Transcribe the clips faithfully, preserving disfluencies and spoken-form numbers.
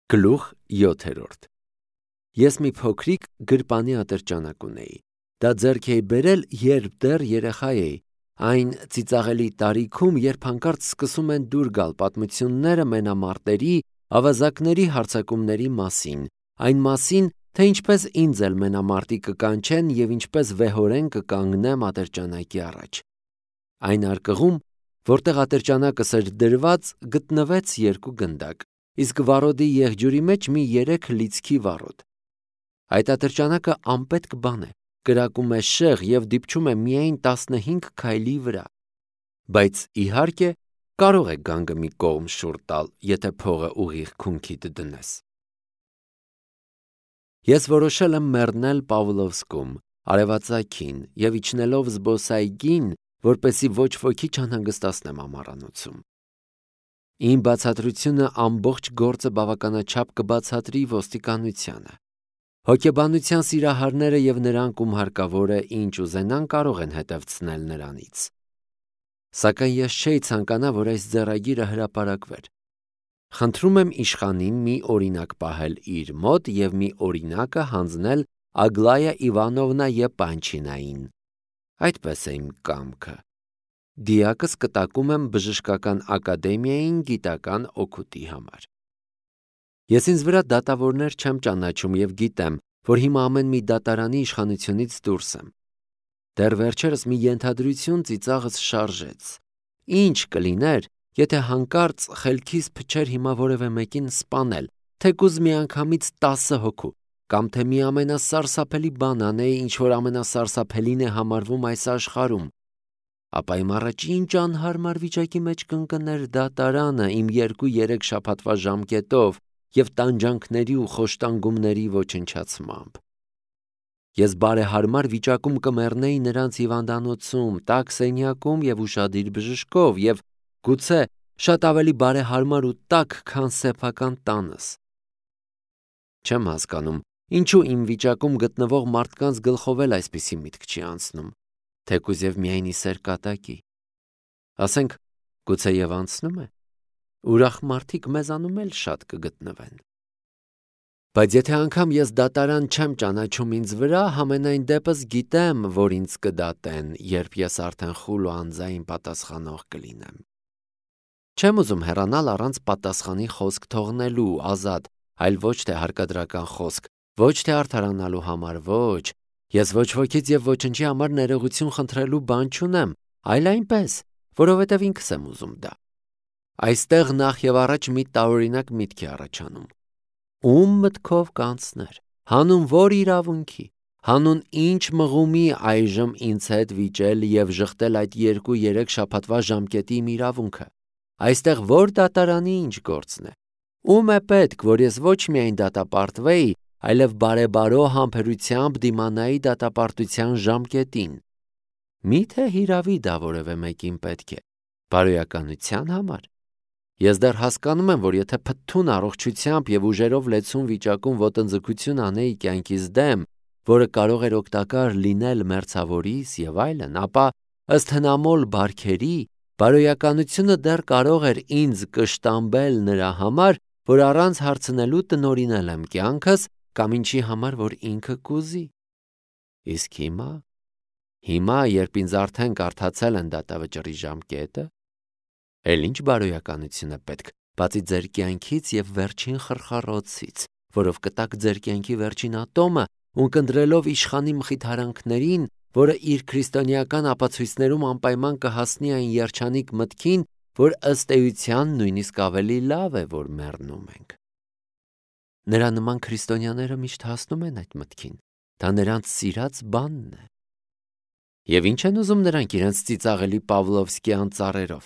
Գլուխ յոթերորդ Ես մի փոքրիկ գրպանի ատրճանակ ունեի։ Դա ձեռք էի բերել, երբ դեռ երեխա էի, այն ծիծաղելի տարիքում, երբ հանկարծ սկսում են դուր գալ պատմությունները մենամարտերի, ավազակների հարձակումների մասին, այն մասին, թե ինչպես ինձ էլ մենամարտի կկանչեն և ինչպես վեհորեն կկանգնեմ ատրճանակի առաջ։ Այն արկղում, որտեղ ատրճանակս էր դրված, գտնվեց երկու գնդակ, իսկ վառոդի եղջյուրի մեջ մի երեք լիցքի վառոդ։ Այդ ատրճանակը անպետք բան է, կրակում է շեղ և դիպչում է միայն տասնհինգ քայլի վրա, բայց իհարկե կարող է գանգը մի կողմ շուռ տալ, եթե փողը ուղիղ քունքիդ դնես։ Ես որոշել եմ մեռնել Պավլովսկում, արևածագին և իջնելով զբոսայգին, որպեսզի ոչ ոքի չանհանգստացնեմ ամառանոցում։ Իմ բացատրությունը ամբողջ գործը բավականաչափ կբացատրի ոստիկանությանը։ Հոգեբանության սիրահարները և նրանք, ում հարկավոր է ինչ ուզենան, կարող են հետևցնել նրանից։ Սակայն ես չէի ցանկանա, որ այս ձեռագիրը հրապարակվեր։ Խնդրում եմ իշխանին մի օրինակ պահել իր մոտ և մի օրինակը հանձնել Ագլայա Իվանովնա Եպանչինային։ Այդպես է իմ կամքը։ Դիակս կտակում եմ Բժշկական ակադեմիային գիտական օգուտի համար։ Ես ինձ վրա դատավորներ չեմ ճանաչում և գիտեմ, որ հիմա ամեն մի դատարանի իշխանությունից դուրս եմ։ Դեռ վերջերս մի ենթադրություն ծիծաղս շարժեց։ Ինչ կլիներ, եթե հանկարծ խելքիս փչեր հիմա որևէ մեկին սպանել, թեկուզ միանգամից տասը հոգու, կամ թե մի ամենասարսափելի բան անեի, ինչ որ ամենասարսափելին է համարվում այս աշխարհում, ապա իմ առաջին անհարմար վիճակի մեջ կընկներ դատարանը իմ երկու-երեք շաբաթվա ժամկետով և տանջանքների ու խոշտանգումների ոչնչացմամբ։ Ես բարեհարմար վիճակում կմեռնեի նրանց հիվանդանոցում, տաք սենյակում և ուշադիր բժշկով և գուցե շատ ավելի բարեհարմար ու տաք, քան սեփական տանս։ Չեմ հասկանում, ինչու իմ վիճակում գտնվող մարդկանց գլխով էլ այսպիսի միտք չի անցնում, թեկուզ և միայն ի սեր կատակի։ Ասենք, գուցե և անցնում է, ուրախ մարդիկ մեզանում էլ շատ կգտնվեն։ Բայց եթե անգամ ես դատարան չեմ ճանաչում ինձ վրա, համենայն դեպս գիտեմ, որ ինձ կդատեն, երբ ես արդեն խուլ ու անձայն պատասխանող կլինեմ։ Չեմ ուզում հեռանալ առանց պատասխանի խոսք թողնելու, ազատ, այլ ոչ թե հարկադրական խոսք, ոչ թե արդարանալու համար, ոչ, ես ոչ ոքից և ոչնչի համար ներողություն խնդրելու բան չունեմ, այլ այնպես, որովհետև ինքս եմ ուզում դա։ Այստեղ նախ և առաջ մի տարօրինակ միտք է առաջանում։ Ում մտքով կանցներ, հանուն որ իրավունքի, հանուն ինչ մղումի այժմ ինձ հետ վիճել և ժխտել այդ երկու-երեք շաբաթվա ժամկետի իմ իրավունքը, այստեղ որ դատարանի ինչ գործն է, ում է պետք, որ ես ոչ միայն դատապարտվեի, այլև բարեբարո համբերությամբ դիմանայի դատապարտության ժամկետին։ Մի՞թե հիրավի դա որևէ մեկին պետք է, բարոյականության համար։ Ես դեռ հասկանում եմ, որ եթե փթթուն առողջությամբ և ուժերով լեցուն վիճակում ոտնձգություն անեի կյանքիս դեմ, որը կարող էր օգտակար լինել մերձավորիս և այլն, ապա ըստ հնամոլ բարքերի, բարոյականությունը դեռ կարող էր ինձ կշտամբել նրա համար, որ առանց հարցնելու տնօրինել եմ կյանքս կամ ինչի համար, որ ինքը կուզի։ Իսկ հիմա, հիմա, երբ ինձ արդեն կարդացել են դատավճռի ժամկետը, էլ ինչ բարոյականություն է պետք, բացի ձեր կյանքից և վերջին խրխառոցից, որով կտաք ձեր կյանքի վերջին ատոմը, ունկնդրելով իշխանի մխիթարանքներին, որը իր քրիստոնեական ապացույցներում անպայման կհասնի այն երջանիկ մտքին, որ ըստ էության նույնիսկ ավելի լավ է, որ մեռնում ենք։ Նրա նման քրիստոնյաները միշտ հասնում են այդ մտքին, դա նրանց սիրած բանն է։ Եվ ինչ են ուզում նրանք իրենց ծիծաղելի Պավլովսկյան ծառերով,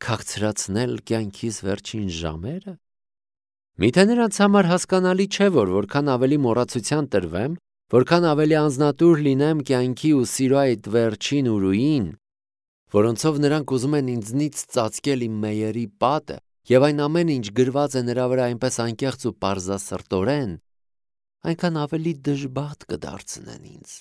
քաղցրացնել կյանքիս վերջին ժամերը։ Միթե նրանց համար հասկանալի չէ, որ որքան ավելի մոռացության տրվեմ, որքան ավելի անձնատուր լինեմ կյանքի ու սիրո այդ վերջին ուրույին, որոնցով նրանք ուզում են ինձնից ծածկել իմ մեյերի պատը, և այն ամենը, ինչ գրված է նրա վրա այնպես անկեղծ ու պարզասրտորեն, այնքան ավելի դժբախտ կդարձնեն ինձ։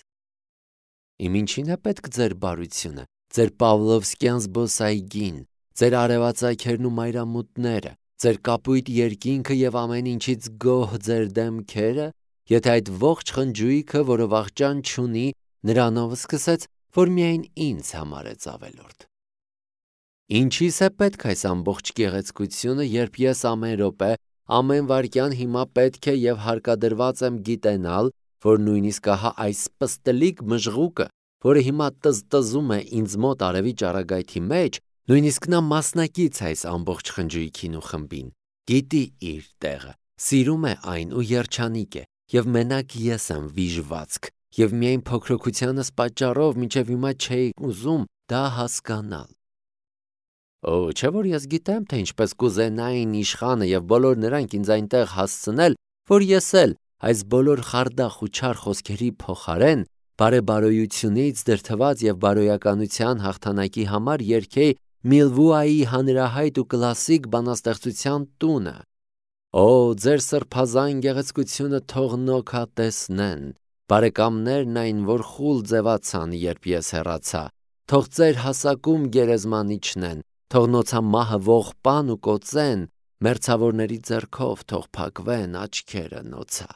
Իմ ինչին է պետք ձեր բարությունը, ձեր Պավլովսկյան զբոսայգին, ձեր արևածագերն ու մայրամուտները, ձեր կապույտ երկինքը եւ ամեն ինչից գոհ ձեր դեմքերը, եթե այդ ողջ խնջույքը, որը վախճան չունի, նրանով սկսեց, որ միայն ինձ համար է ավելորդ։ Ինչի՞ս է պետք այս ամբողջ գեղեցկությունը, երբ ես ամեն րոպե, ամեն վայրկյան հիմա պետք է եւ հարկադրված եմ գիտենալ, որ նույնիսկ ահա այս պստլիկ մժղուկը, որը հիմա տզտզում է ինձ մոտ արևի ճառագայթի մեջ, նույնիսկ նա մասնակից է այս ամբողջ խնջույքին ու խմբին, գիտի իր տեղը, սիրում է այն ու երջանիկ է, եւ մենակ ես եմ վիժվածք, եւ միայն փոքրոքությանս պատճառով մինչեւ հիմա չէի ուզում դա հասկանալ։ Օ, չէ՞ որ ես գիտեմ, թե ինչպես կուզենային իշխանը եւ բոլոր նրանք ինձ այնտեղ հասցնել, որ ես էլ այս բոլոր խարդախ ու չար խոսքերի փոխարեն բարեբարոյությունից դրդված եւ բարոյականության հաղթանակի համար երգեի Միլվուայի հանրահայտ ու կլասիկ բանաստեղծության տունը։ Օ, ձեր սրբազան գեղեցկությունը թող նոքա տեսնեն, բարեկամներն այն, որ խուլ ձևացան, երբ ես հեռացա, թող ձեր հասակում գերեզման իջնեն, թող նոցա մահը ողբան ու կոծեն, մերձավորների ձեռքով թող փակվեն աչքերը նոցա։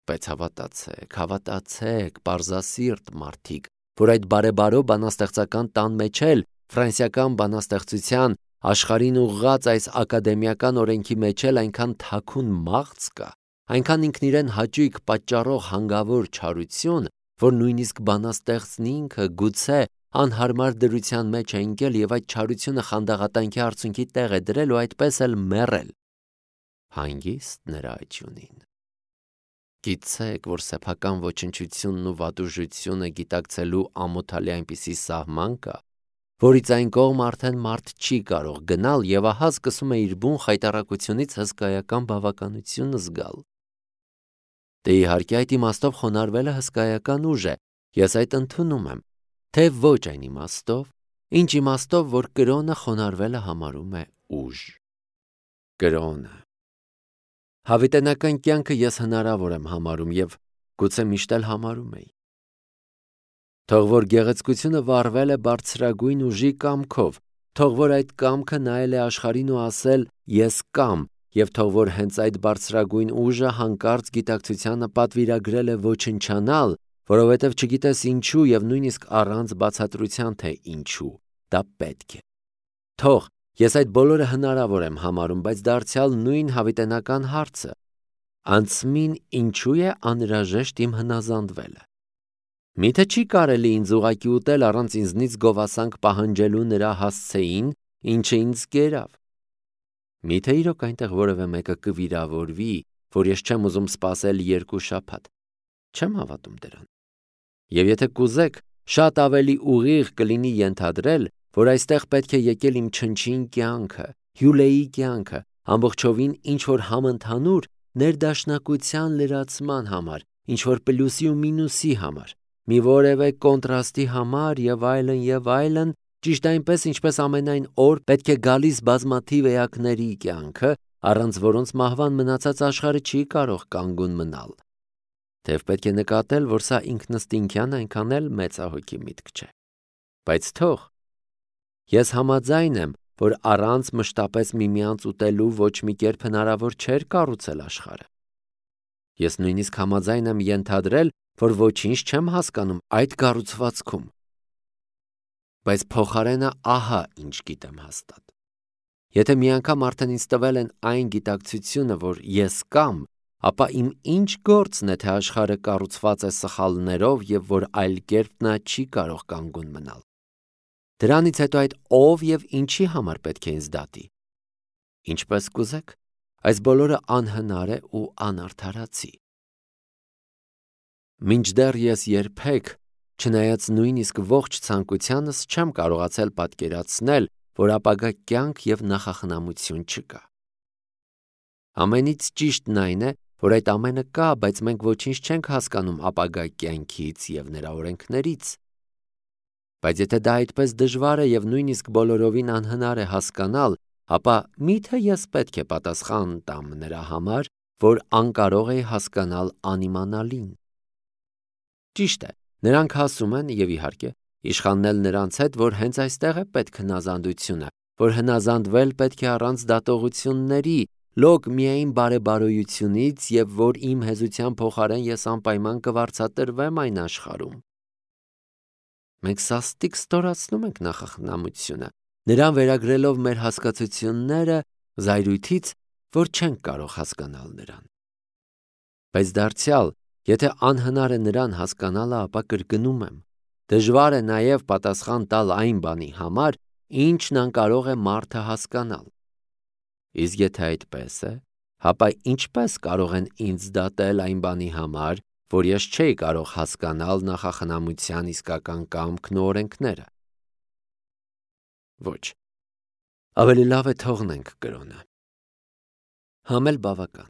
Բայց հավատացեք, հավատացեք, պարզասիրտ մարդիկ, որ այդ բարեբարո բանաստեղծական տան մեջ էլ ֆրանսիական բանաստեղծության աշխարհին ուղղած այս ակադեմիական օրենքի մեջ էլ այնքան թաքուն մաղձ կա, այնքան ինքն իրեն հաճույք պատճառող հանգավոր չարություն, որ նույնիսկ բանաստեղծն ինքը գուցե անհարմար դրության մեջ է ընկել եւ այդ չարությունը խանդաղատանքի արցունքի տեղ է դրել ու այդպես էլ մեռել։ Հանգիստ նրա աճյունին։ Գիտեք, որ սեփական ոչնչությունն ու վատուժությունը գիտակցելու ամոթալի այնպիսի սահման կա, որից այն կողմ արդեն մարդ չի կարող գնալ եւ ահա սկսում է իր բուն խայտառակությունից հսկայական բավականություն զգալ։ Դե իհարկե այդ իմաստով խոնարհվելը հսկայական ուժ է, ես այդ ընդունում եմ, թե ոչ այն իմաստով, ինչ իմաստով, որ կրոնը խոնարհվելը համարում է ուժ։ Կրոնը։ Հավիտենական կյանքը ես հնարավոր եմ համարում եւ գուցե միշտ էլ համարում էի։ Թող որ գեղեցկությունը վառվել է բարձրագույն ուժի կամքով, թող որ այդ կամքը նայել է աշխարհին ու ասել ես կամ, եւ թող որ հենց այդ բարձրագույն ուժը հանկարծ գիտակցությանը պատվիրագրել է ոչնչանալ, որովհետև չգիտես ինչու եւ նույնիսկ առանց բացատրության թե ինչու, դա պետք է։ Թող ես այդ բոլորը հնարավոր եմ համարում, բայց դարձյալ նույն հավիտենական հարցը, անցմին ինչու է անհրաժեշտ իմ հնազանդվելը։ Միթե չի կարելի ինձ ուղակի ուտել առանց ինձնից գովասանք պահանջելու նրա հասցեին, ինչը ինձ կերավ։ Միթե իրոք այնտեղ որևէ մեկը կվիրավորվի, որ ես չեմ ուզում սպասել երկու շաբաթ։ Չեմ հավատում դրան։ Եվ եթե կուզեք, շատ ավելի ուղիղ կլինի ենթադրել, որ այստեղ պետք է եկել իմ չնչին կյանքը, հյուլեի կյանքը, ամբողջովին ինչ-որ համընդհանուր ներդաշնակության լրացման համար, ինչ-որ պլյուսի ու մինուսի համար, մի որևէ կոնտրաստի համար եւ այլն եւ այլն, ճիշտ այնպես, ինչպես ամենայն օր պետք է գալիս բազմաթիվ էակների կյանքը, առանց որոնց մահվան մնացած աշխարհը չի կարող կանգուն մնալ։ Թեև պետք է նկատել, որ սա ինքնըստինքյան այնքան էլ մեծահոգի միտք չէ։ Բայց թող ես համաձայն եմ, որ առանց մշտապես միմյանց ուտելու ոչ մի կերպ հնարավոր չէր կառուցել աշխարհը։ Ես նույնիսկ համաձայն եմ ենթադրել, որ ոչինչ չեմ հասկանում այդ կառուցվածքում։ Բայց փոխարենը ահա ինչ գիտեմ հաստատ։ Եթե մի անգամ արդեն ինձ տվել են այն գիտակցությունը, որ ես կամ, ապա իմ ինչ գործն է, թե աշխարհը կառուցված է սխալներով եւ որ այլ կերպ նա չի կարող կանգուն մնալ։ Դրանից հետո այդ ով եւ ինչի համար պետք է ինձ դատի։ Ինչպես կուզեք, այս բոլորը անհնար է ու անարդարացի։ Մինչդեռ ես երբեք, չնայած նույնիսկ ողջ ցանկությանս, չեմ կարողացել պատկերացնել, որ ապագա կյանք եւ նախախնամություն չկա։ Ամենից ճիշտն այն է, որ այդ ամենը կա, բայց մենք ոչինչ չենք հասկանում ապագա կյանքից եւ նրա օրենքներից։ Բայց եթե դա այդպես դժվար է եւ նույնիսկ բոլորովին անհնար է հասկանալ, ապա միթե ես պետք է պատասխան տամ նրա համար, որ անկարող է հասկանալ անիմանալին։ Ճիշտ է, նրանք ասում են եւ իհարկե իշխանն էլ նրանց հետ, որ հենց այստեղ է պետք հնազանդությունը, որ հնազանդվել պետք է առանց դատողությունների, լոկ միայն բարեբարոյությունից և որ իմ հեզության փոխարեն ես անպայման կվարձատրվեմ այն աշխարհում։ Մենք սաստիկ ստորացնում ենք նախախնամությունը, նրան վերագրելով մեր հասկացությունները զայրույթից, որ չենք կարող հասկանալ նրան։ Բայց դարձյալ, եթե անհնար է նրան հասկանալը, ապա կրկնում եմ, դժվար է նաև պատասխան տալ այն բանի համար, ինչն անկարող է մարդը հասկանալ։ Իսկ եթե այդպես է, ապա ինչպես կարող են ինձ դատել այն բանի համար, որ ես չէի կարող հասկանալ նախախնամության իսկական կամքն ու օրենքները։ Ոչ, ավելի լավ է թողնենք կրոնը։ Համ էլ բավական։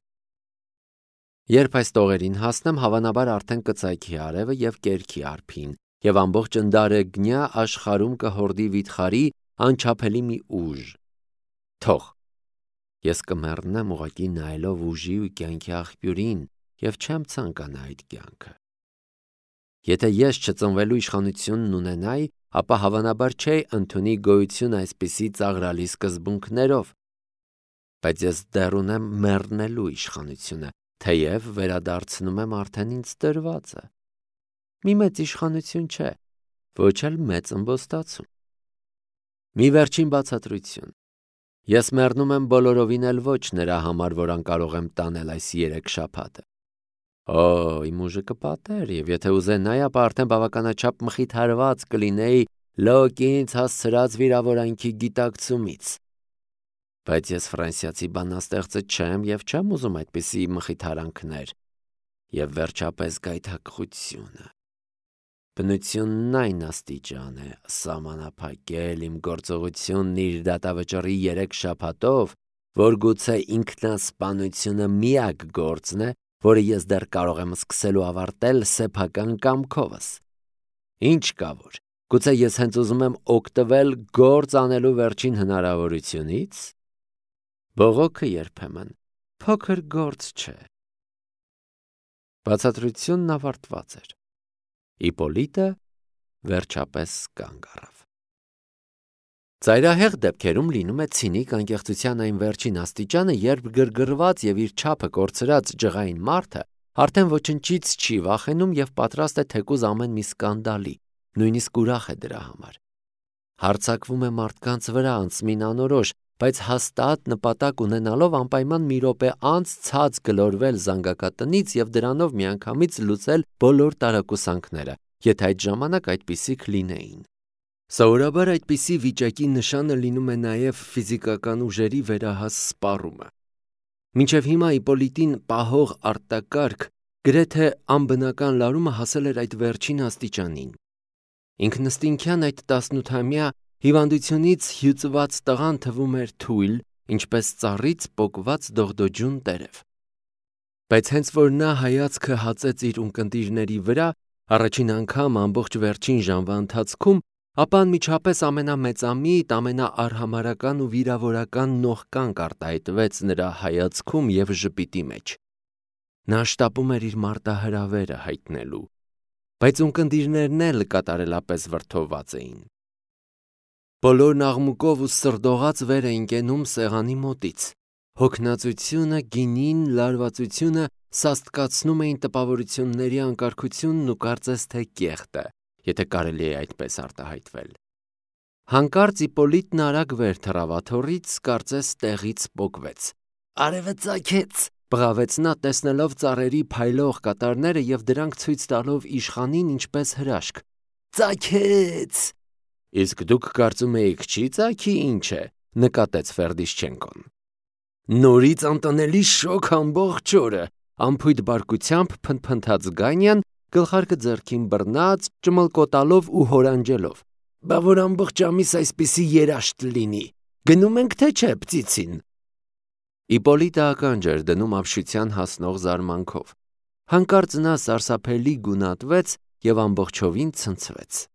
Երբ այս տողերին հասնեմ, հավանաբար արդեն կծայքի արևը և կերքի արփին, և ամբողջ ընդարեգնյա աշխարհում կհորդի վիթխարի անչափելի մի ուժ։ Թող։ Ես կմեռնեմ ուղղակի նայելով ուժի ու կյանքի աղբյուրին և չեմ ցանկանա այդ կյանքը։ Եթե ես չծնվելու իշխանությունն ունենայի, ապա հավանաբար չէի ընդունի գոյություն այսպիսի ծաղրալի սկզբունքներով։ Բայց ես դեռ ունեմ մեռնելու իշխանությունը, թեև վերադարձնում եմ արդեն ինձ տրվածը։ Մի մեծ իշխանություն չէ, ոչ էլ մեծ ըմբոստացում։ Մի վերջին բացատրություն։ Ես մեռնում եմ բոլորովին էլ ոչ նրա համար, որ անկարող եմ տանել այս երեք շաբաթը։ Օ, իմ ուժը կպատեր, և եթե ուզենայի, ապա արդեն բավականաչափ մխիթարված կլինեի լոկ ինձ հասցրած վիրավորանքի գիտակցումից։ Բայց ես ֆրանսիացի բանաստեղծը չեմ և չեմ ուզում այդպիսի մխիթարանքներ։ Եվ վերջապես գայթակղությունը։ Բնությունն այն աստիճան է սահմանափակել իմ գործողությունն իր դատավճռի երեք շաբաթով, որ գուցե ինքնասպանությունը միակ գործն է, որը ես դեռ կարող եմ սկսել ու ավարտել սեփական կամքովս։ Ինչ կա որ, գուցե ես հենց ուզում եմ օգտվել գործ անելու վերջին հնարավորությունից։ Բողոքը երբեմն փոքր գործ չէ։ Բացատրությունն ավարտված էր։ Իպոլիտը վերջապես կանգ առավ։ Ծայրահեղ դեպքերում լինում է ցինիկ անկեղծության այն վերջին աստիճանը, երբ գրգռված և իր չափը կորցրած ջղային մարդը արդեն ոչնչից չի վախենում և պատրաստ է թեկուզ ամեն մի սկանդալի, նույնիսկ ուրախ է դրա համար։ Հարձակվում է մարդկանց վրա անցմին անորոշ, բայց հաստատ նպատակ ունենալով անպայման մի րոպե անց ցած գլորվել զանգակատնից և դրանով միանգամից լուծել բոլոր տարակուսանքները, եթե այդ ժամանակ այդպիսիք լինեին։ Սովորաբար այդպիսի վիճակի նշանը լինում է նաև ֆիզիկական ուժերի վերահաս սպառումը։ Մինչև հիմա Իպոլիտին պահող արտակարգ, գրեթե անբնական լարումը հասել էր այդ վերջին աստիճանին։ Ինքնըստինքյան այդ տասնութամյա հիվանդությունից հյուծված տղան թվում էր թույլ, ինչպես ծառից պոկված դողդոջուն տերև։ Բայց հենց որ նա հայացքը հացեց իր ունկնդիրների վրա, առաջին անգամ ամբողջ վերջին ժամվա ընթացքում, ապա անմիջապես ամենամեծամիտ, ամենաարհամարհական ու վիրավորական նողկանք արտահայտվեց նրա հայացքում և ժպիտի մեջ։ Նա շտապում էր իր մարտահրավերը հայտնելու, բայց ունկնդիրներն էլ կատարելապես վրդովված էին։ Բոլորն աղմուկով ու սրդողաց վեր էին կենում սեղանի մոտից։ Հոգնածությունը, գինին, լարվածությունը սաստկացնում էին տպավորությունների անկարգությունն ու կարծես թե կեղտը, եթե կարելի է այդպես արտահայտվել։ Հանկարծ Իպոլիտն արագ վեր թռավ աթոռից, կարծես տեղից պոկվեց։ «Արևը ծագեց», բղավեց նա, տեսնելով ծառերի փայլող կատարները և դրանք ցույց տալով իշխանին ինչպես հրաշք։ «Ծագեց»։ Իսկ դուք կարծում էիք չի ծագի, ինչ է, նկատեց Ֆերդիշչենկոն։ Նորից անտանելի շոգ ամբողջ օրը, անփույթ բարկությամբ փնթփնթաց Գանյան, գլխարկը ձեռքին բռնած, ճմլկոտալով ու հորանջելով։ Բա որ ամբողջ ամիս այսպիսի երաշտ լինի, գնում ենք թե չէ Պծիցին։ Իպոլիտը ականջ էր դնում ապշության հասնող զարմանքով։ Հանկարծ նա սարսափելի գունատվեց և ամբողջովին ցնցվեց։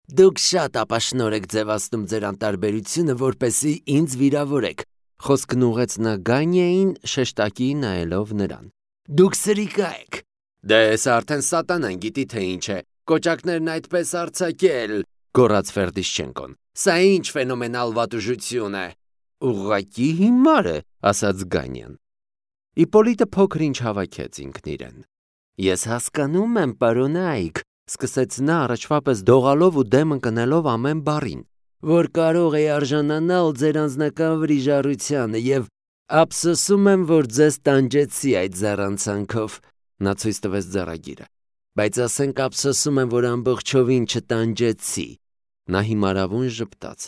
Դուք շատ ապաշնոր եք ձևացնում ձեր անտարբերությունը, որպեսզի ինձ վիրավորեք, խոսքն ուղղեց նա Գանիային, շեշտակի նայելով նրան։ Դուք սրիկա եք։ Դե սա արդեն սատանան գիտի թե ինչ է, կոճակներն այդպես արձակել, գոռաց Ֆերդիշչենկոն։ Սա ինչ ֆենոմենալ վատուժություն է։ Ուղղակի հիմար է, ասաց Գանյան։ Իպոլիտը փոքր ինչ հավաքեց ինքն իրեն։ Ես հասկանում եմ, պարոնայք, սկսեց նա առաջվա պես դողալով ու դեմ ընկնելով ամեն բառին, որ կարող է արժանանալ ձեր անձնական վրիժառությանը եւ ափսոսում եմ, որ ձեզ տանջեցի այդ զառանցանքով, նա ցույց տվեց ձեռագիրը, բայց ասենք ափսոսում եմ, որ ամբողջովին չտանջեցի, նա հիմարավուն ժպտաց,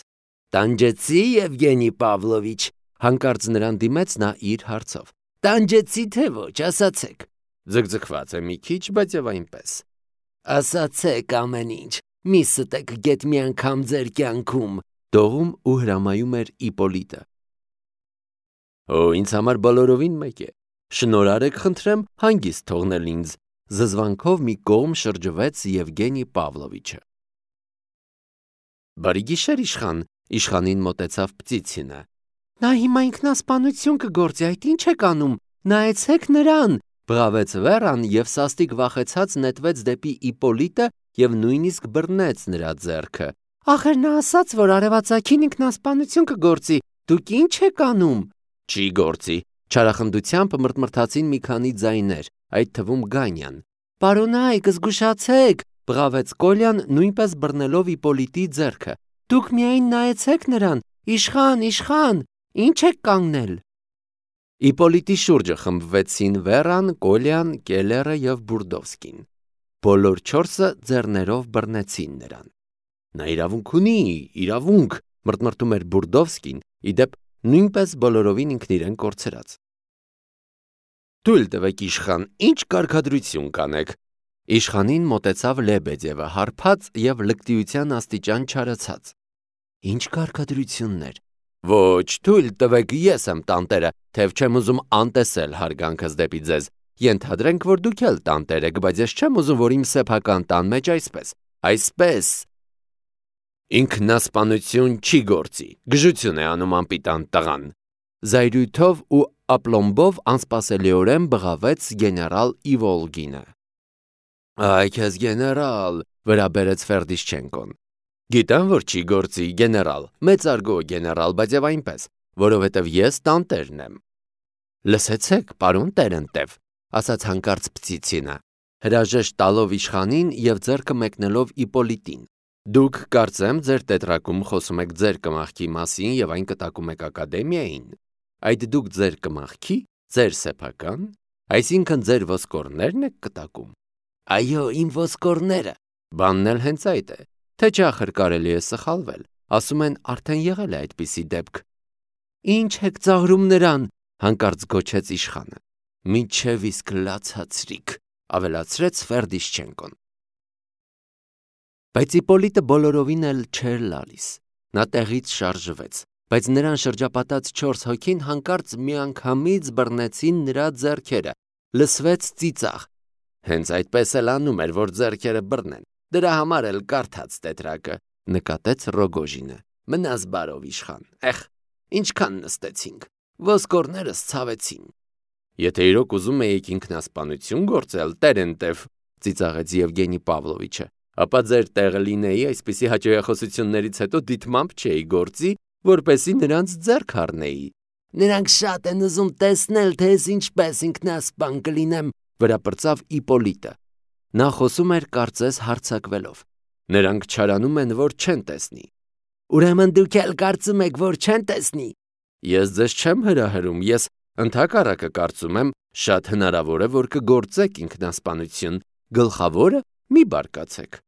տանջեցի Եվգենի Պավլովիչ, հանկարծ նրան դիմեց նա իր հարցով, տանջեցի թե ոչ, ասացեք, ձգձգված է մի քիչ, բայց եւ այնպես, ասացեք ամեն ինչ, մի ստեք գետ մի անգամ ձեր կյանքում, դողում ու հրամայում էր Իպոլիտը։ Օ, ինձ համար բոլորովին մեկ է, շնորհարեք խնդրեմ հանգիստ թողնել ինձ, զզվանքով մի կողմ շրջվեց Եվգենի Պավլովիչը։ Բարի գիշեր, իշխան, իշխանին մոտեցավ Պտիցինը։ Նա հիմա ինքնասպանություն կգործի, այդ ինչ եք անում, նայեցեք նրան, բղավեց Վերան եւ սաստիկ վախեցած նետվեց դեպի Իպոլիտը եւ նույնիսկ բռնեց նրա ձեռքը։ Ախր նա ասաց, որ արևածագին ինքնասպանություն կգործի, դուք ինչ եք անում։ Չի գործի, չարախնդությամբ մրթմրթացին մի քանի ձայներ, այդ թվում Գանյան։ Պարոնայք, զգուշացեք, բղավեց Կոլյան, նույնպես բռնելով Իպոլիտի ձեռքը։ Դուք միայն նայեցեք նրան, իշխան, իշխան, ինչ եք կանգնել։ Իպոլիտի շուրջը խմբվեցին Վերան, Կոլյան, Կելերը եւ Բուրդովսկին։ Բոլոր չորսը ձեռներով բռնեցին նրան։ Նա իրավունք ունի, իրավունք, մրթմրթում էր Բուրդովսկին, իդեպ նույնպես բոլորովին ինքն իրեն կորցրած։ Թույլ տվեք իշխան, ինչ կարգադրություն կանեք։ Իշխանին մոտեցավ Լեբեդևը, հարբած եւ լկտիության աստիճան չարացած։ Ինչ կարգադրություններ։ Ոչ, թույլ տվեք, ես եմ տանտերը, թեև չեմ ուզում անտեսել հարգանքս դեպի ձեզ։ Ենթադրենք, որ դուք էլ տանտեր եք, բայց ես չեմ ուզում, որ իմ սեփական տան մեջ այսպես, այսպես։ Ինքնասպանություն չի գործի, գժություն է անում անպիտան տղան։ Զայրույթով ու ապլոմբով անսպասելիորեն բղավեց գեներալ Իվոլգինը։ Այ քեզ գեներալ, վրա բերեց Ֆերդիշչենկոն։ Գիտեմ, որ չի գործի, գեներալ, մեծարգո գեներալ, բայց եւ այնպես, որովհետեւ ես տանտերն եմ։ Լսեցեք, պարոն Տերենտև, ասաց հանկարծ Պտիցինը, հրաժեշտ տալով իշխանին եւ ձեռքը մեկնելով Իպոլիտին։ Դուք կարծեմ ձեր տետրակում խոսում եք ձեր կմախքի մասին եւ այն կտակում եք ակադեմիային։ Այդ դուք ձեր կմախքի, ձեր սեփական, այսինքն ձեր ոսկորներն եք կտակում։ Այո, իմ ոսկորները։ Բանն էլ հենց այդ է, թե չէ ախր կարելի է սխալվել։ Ասում են արդեն եղել է այդպիսի դեպք։ Ինչ եք ծաղրում նրան, հանկարծ գոչեց իշխանը։ Մինչև իսկ լացացրիք, ավելացրեց Ֆերդիշչենկոն։ Բայց Իպոլիտը բոլորովին էլ չէր լալիս։ Նա տեղից շարժվեց, բայց նրան շրջապատած չորս հոգին հանկարծ միանգամից բռնեցին նրա ձեռքերը, լսվեց ծիծաղ։ Հենց այդպես էլ անում էր, որ ձեռքերը բռնեն։ Դրա համար էլ կարդաց տետրակը, նկատեց Ռոգոժինը։ Մնաս բարով իշխան, эх, ինչքան նստեցինք, ոսկորներս ցավեցին։ Եթե իրոք ուզում էիք ինքնասպանություն գործել, Տերենտև, ծիծաղեց Եվգենի Պավլովիչը, ապա ձեր տեղը լինեի այսպիսի հաճոյախոսություններից հետո դիտմամբ չէի գործի, որպեսի նրանց ձեռք առնեի։ Նրանք շատ են ուզում տեսնել, թե ես ինչպես ինքնասպան կլինեմ, վրա պրծավ Իպոլիտը։ Նա խոսում էր կարծես հարձակվելով։ Նրանք չարանում են, որ չեն տեսնի։ Ուրեմն դուք էլ կարծում եք, որ չեն տեսնի։ Ես ձեզ չեմ հրահրում, ես ընդհակառակը կարծում եմ, շատ հնարավոր է, որ կգործեք ինքնասպանություն, գլխավորը մի բարկացեք։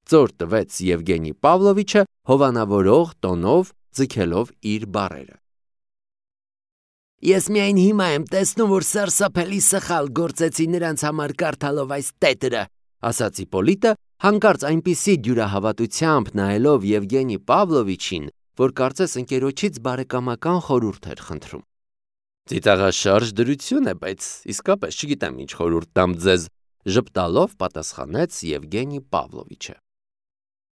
Ծոր տվեց Եվգենի Պավլովիչը հովանավորող տոնով ձգելով իր բառերը։ Ես միայն հիմա եմ տեսնում, որ սարսափելի սխալ գործեցի նրանց համար կարդալով այս տետրը, ասաց Իպոլիտը, հանկարծ այնպիսի դյուրահավատությամբ նայելով Եվգենի Պավլովիչին, որ կարծես ընկերոջից բարեկամական խորհուրդ էր խնդրում։ Ծիծաղաշարժ դրություն է, բայց իսկապես չգիտեմ ինչ խորհուրդ տամ ձեզ, ժպտալով պատասխանեց Եվգենի Պավլովիչը։